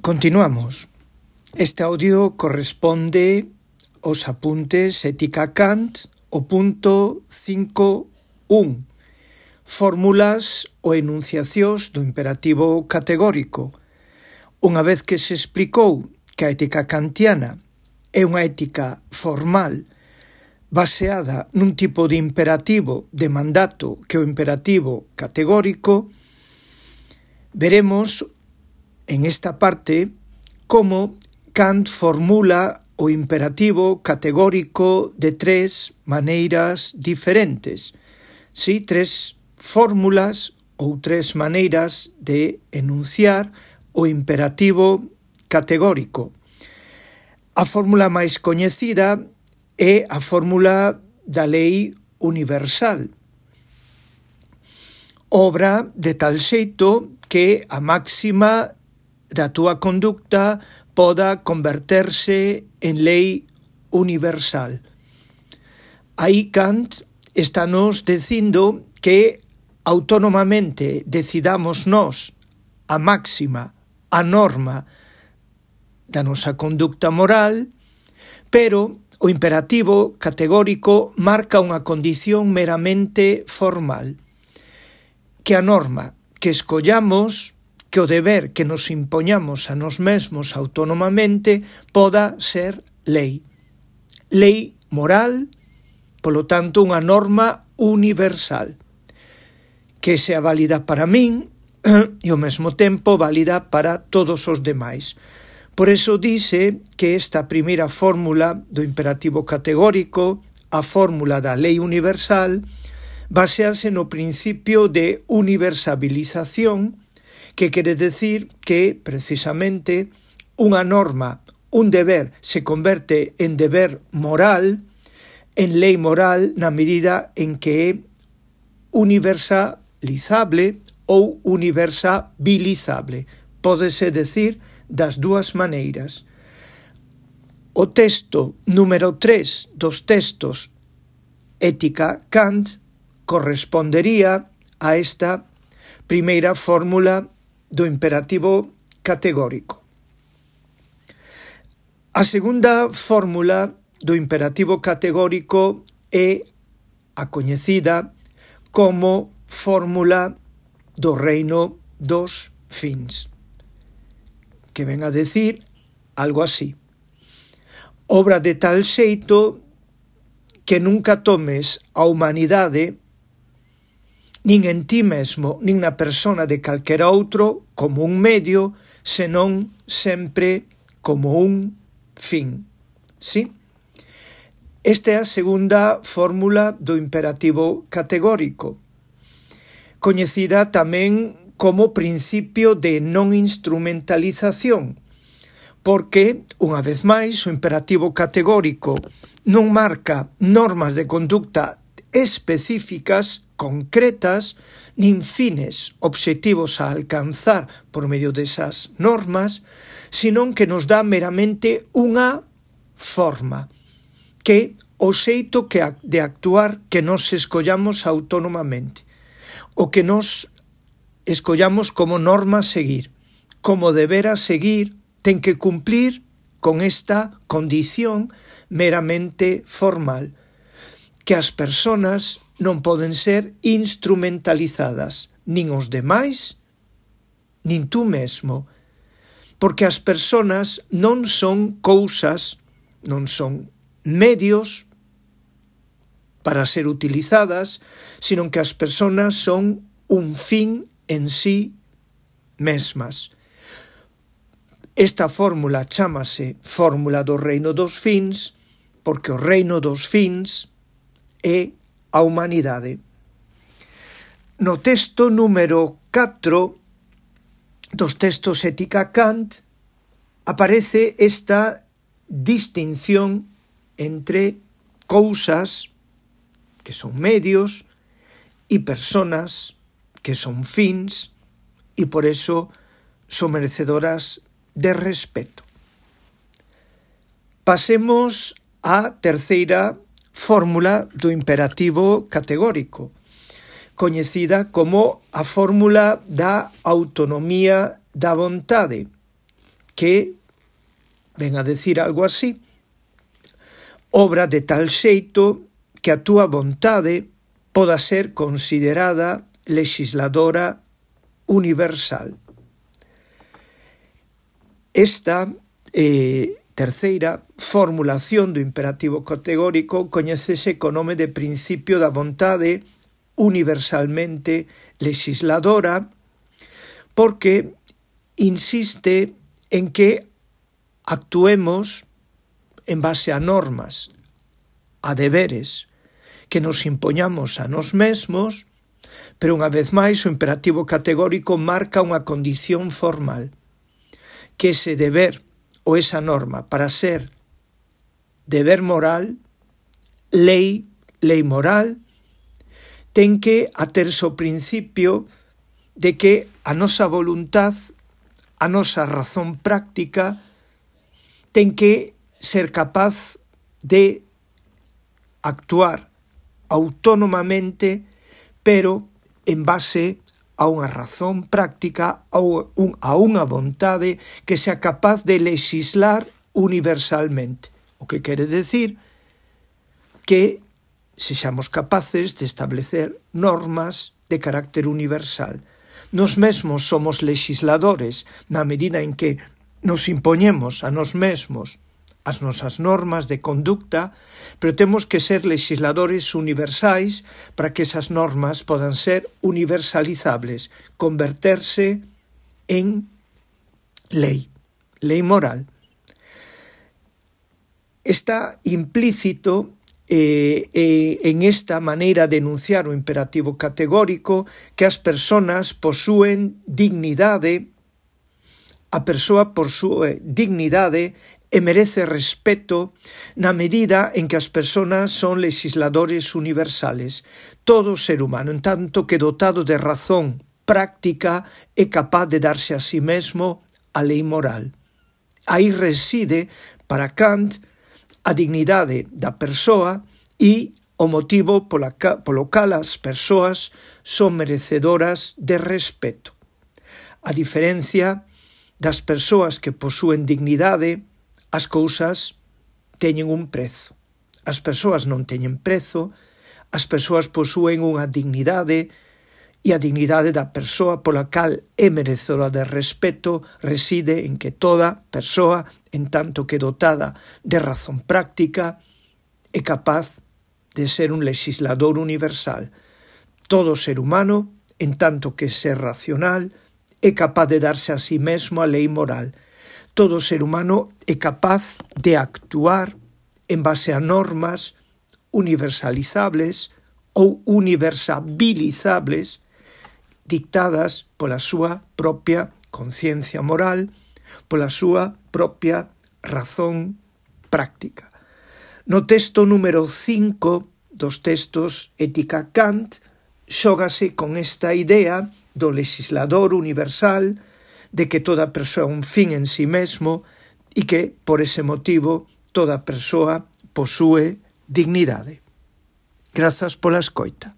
Continuamos. Este audio corresponde aos apuntes Ética Kant, o punto 5.1. Fórmulas ou enunciacións do imperativo categórico. Unha vez que se explicou que a ética kantiana é unha ética formal baseada nun tipo de imperativo de mandato que é o imperativo categórico, veremos en esta parte como Kant formula o imperativo categórico de tres maneiras diferentes. Sí, tres fórmulas ou tres maneiras de enunciar o imperativo categórico. A fórmula máis coñecida é a fórmula da lei universal. Obra de tal xeito que a máxima da túa conducta poda converterse en lei universal. Aí Kant estános dicindo que autónomamente decidamos nós a máxima, a norma da nosa conducta moral, pero o imperativo categórico marca unha condición meramente formal, que a norma que escollamos, que o deber que nos impoñamos a nós mesmos autónomamente poda ser lei. Lei moral, polo tanto, unha norma universal, que sea válida para min e ao mesmo tempo válida para todos os demais. Por eso dice que esta primeira fórmula do imperativo categórico, a fórmula da lei universal, basease no principio de universalización, que quere decir que, precisamente, unha norma, un deber, se converte en deber moral, en lei moral, na medida en que é universalizable ou universabilizable. Pódese decir das dúas maneiras. O texto número 3 dos textos Ética Kant correspondería a esta primeira fórmula do imperativo categórico. A segunda fórmula do imperativo categórico é a coñecida como fórmula do reino dos fins, que ven a decir algo así: obra de tal xeito que nunca tomes a humanidade nin en ti mesmo, nin na persona de calquera outro, como un medio, senón sempre como un fin. Sí? Esta é a segunda fórmula do imperativo categórico, coñecida tamén como principio de non instrumentalización, porque, unha vez máis, o imperativo categórico non marca normas de conducta específicas, concretas, nin fines obxectivos a alcanzar por medio desas normas, senón que nos dá meramente unha forma, que o xeito de actuar que nos escollamos autónomamente, o que nos escollamos como norma a seguir, como deber a seguir, ten que cumplir con esta condición meramente formal, que as persoas non poden ser instrumentalizadas, nin os demais, nin tú mesmo, porque as persoas non son cousas, non son medios para ser utilizadas, sino que as persoas son un fin en sí mesmas. Esta fórmula chámase fórmula do reino dos fins, porque o reino dos fins é a humanidade. No texto número 4 dos textos Ética Kant aparece esta distinción entre cousas, que son medios, e personas, que son fins, e por eso son merecedoras de respeto. Pasemos á terceira fórmula do imperativo categórico, coñecida como a fórmula da autonomía da vontade, que ven a decir algo así: obra de tal xeito que a túa vontade poda ser considerada legisladora universal. Esta terceira formulación do imperativo categórico coñécese co nome de principio da vontade universalmente legisladora, porque insiste en que actuemos en base a normas, a deberes, que nos impoñamos a nós mesmos, pero unha vez máis o imperativo categórico marca unha condición formal, que ese deber ou esa norma, para ser deber moral, lei moral, ten que aterse o principio de que a nosa voluntad, a nosa razón práctica, ten que ser capaz de actuar autónomamente, pero en base a unha razón práctica, a unha vontade que sea capaz de legislar universalmente. O que quere decir que sexamos capaces de establecer normas de carácter universal. Nos mesmos somos legisladores na medida en que nos impoñemos a nos mesmos as nosas normas de conducta, pero temos que ser legisladores universais para que esas normas podan ser universalizables, converterse en lei moral. Está implícito en esta maneira de enunciar o imperativo categórico que as persoas posúen dignidade, a persoa posúe dignidade e merece respeto na medida en que as persoas son legisladores universales. Todo ser humano, en tanto que dotado de razón práctica, é capaz de darse a sí mesmo a lei moral. Aí reside, para Kant, a dignidade da persoa e o motivo polo cal as persoas son merecedoras de respeto. A diferencia das persoas que posúen dignidade, as cousas teñen un prezo. As persoas non teñen prezo, as persoas posúen unha dignidade e a dignidade da persoa pola cal é merecedora de respeto reside en que toda persoa, en tanto que dotada de razón práctica, é capaz de ser un legislador universal. Todo ser humano, en tanto que ser racional, é capaz de darse a sí mesmo a lei moral. Todo ser humano é capaz de actuar en base a normas universalizables ou universabilizables dictadas pola súa propia conciencia moral, pola súa propia razón práctica. No texto número 5 dos textos Ética Kant xógase con esta idea do legislador universal, de que toda persoa é un fin en sí mesmo e que, por ese motivo, toda persoa posúe dignidade. Grazas pola escoita.